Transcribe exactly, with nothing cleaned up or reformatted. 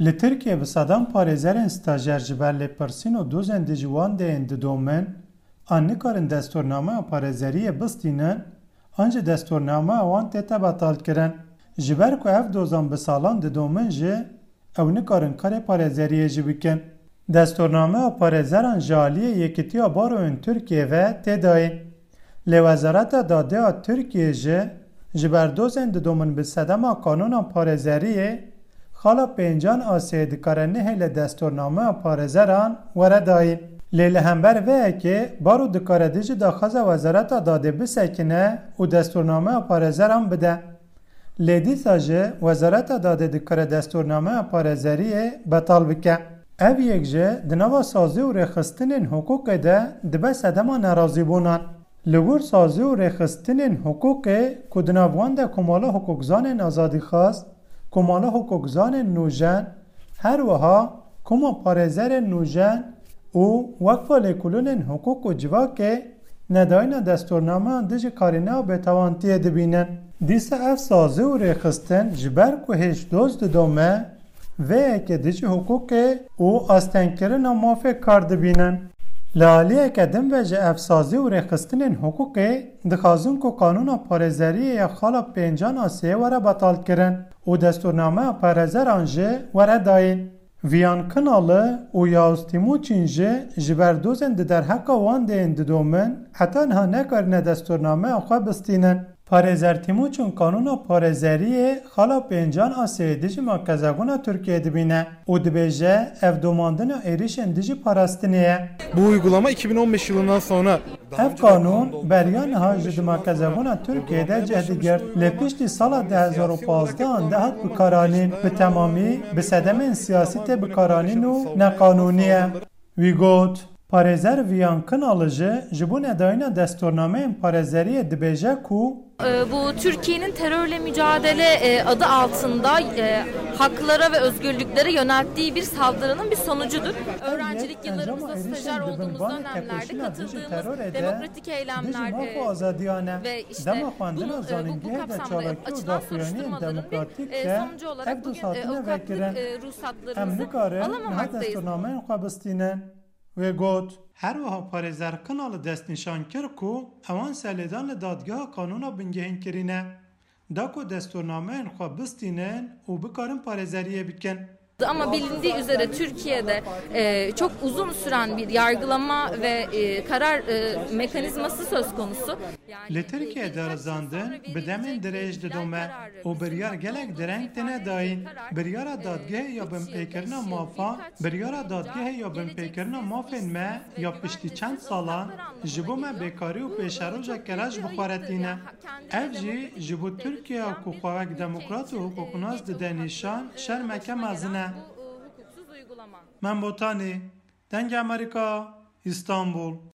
Li Tirkiyê bi sedan parêzerên stajer ji ber lêpirsîn û dozên dijî wan deyên didomin, an nikarin destûrnameya parêzeriyê bistînin, an jî destûrnameya wan tête betalkirin. Ji ber ku ev dozan bi salan didomin jî, ew nikarin karê parêzeriyê jî bikin. Destûrnameya parêzeran ji aliyê Yekîtiya Baroyên Tirkiyê ve tê dayîn. Lê Wezareta Dadê ya Tirkiyê jî ji ber dozên didomin bi sedema kanûna parêzeriyê, xala pêncan Asyayê dikare nehêle destûrnameya parêzeran were dayîn. Lê li hember vê yekê baro dikare dijî daxwaza Wezareta Dadê bisekine û destûrnameya parêzeran bide. Lê dîsa jî Wezareta Dadê dikare destûrnameya parêzeriyê betal bike. Ev yek jî di nava sazî û rêxistinên hiqûqê de dibe sedema nerazîbûnan. Li gor sazî û rêxistinên hiqûqê ku di nav wan de Komala Hiqûqzanên Azadîxwaz, Komala Hiqûqzanên Nûjen, her wiha Koma Parêzerên Nûjen û Weqfa Lêkolînên Hiqûq û Civakê nedayîna destûrnameyan dijî karîneya bêtewantiyê dibînin. Dîsa ev sazî û rêxistin ji ber ku hêj doz didome, vê yekê dijî hiqûqê û astengkirina mafê kar dibînin. Li aliyeke din ve ji ev sazî û rêxistinên hiqûqê dixwazin ku qanûna parêzeriyê ya xala pêncan Asyayê were betalkirin û destûrnameya parêzeran jî were dayîn. Viyan Kinalı û Yavuz Tîmûçîn jî ji ber dozên di derheqa wan deyên didomin, heta niha nekarine destûrnameya xwe bistînin. Parêzer Tîmûçîn qanûna parêzeriyê xala pêncan Asyayê dijî makezebûna Tirkiyeyê dibîne û dibêje, ev domandina êrîşên dijî parastinê ye. Bu uygulama iki bin on beş yılından sonra Ev qanûn beriya niha ji di makezebûna Tirkiyeyê de cih digirt. Lê piştî sala du hezar û pazdeh de hat bikaranîn, bi temamî bi sedemên siyasî tê bikaranîn û neqanûnî ye. Wî got, Parêzer Viyan Kinalı jî ji bo nedayîna destûrnameyên parêzeriyê dibêje ku, E, bu Türkiye'nin terörle mücadele, e, adı altında, e, haklara ve özgürlüklere yönelttiği bir saldırının bir sonucudur. Öğrencilik yıllarımızda, stajyer olduğumuz dönemlerde katıldığımız demokratik eylemler, e, ve işte bunu, e, bu, bu kapsamda açılan soruşturmaların bir, e, sonucu olarak bugün, e, avukatlık, e, ruhsatlarımızı alamamaktayız. Wê got, Her wiha parêzer Kinalı destnîşan kir ku ewan serlêdan li dadgeha qanûna bingehîn kirîne, da ku destûrnameyên xwe bistînin û bikarin parêzeriyê bikin. Ama bilindiği üzere Türkiye'de, e, çok uzun süren bir yargılama ve, e, karar, e, mekanizması söz konusu. Li Tirkiyeyê darizandin bi demên dirêj didome û biryar gelek dereng têne dayîn. Biryara dadgehê ya binpêkirina mafa, biryara dadgehê ya binpêkirina mafên me ya piştî çend salan ji bo me bêkarî û pêşerojeke reş bi xwe re tîne. Ev jî ji bo Tirkiyeya ku xwe wek demokrat û hiqûqnas dide nîşan, şermeke mezin e. Mem Botanî, Dengê Amerîka, Îstanbul.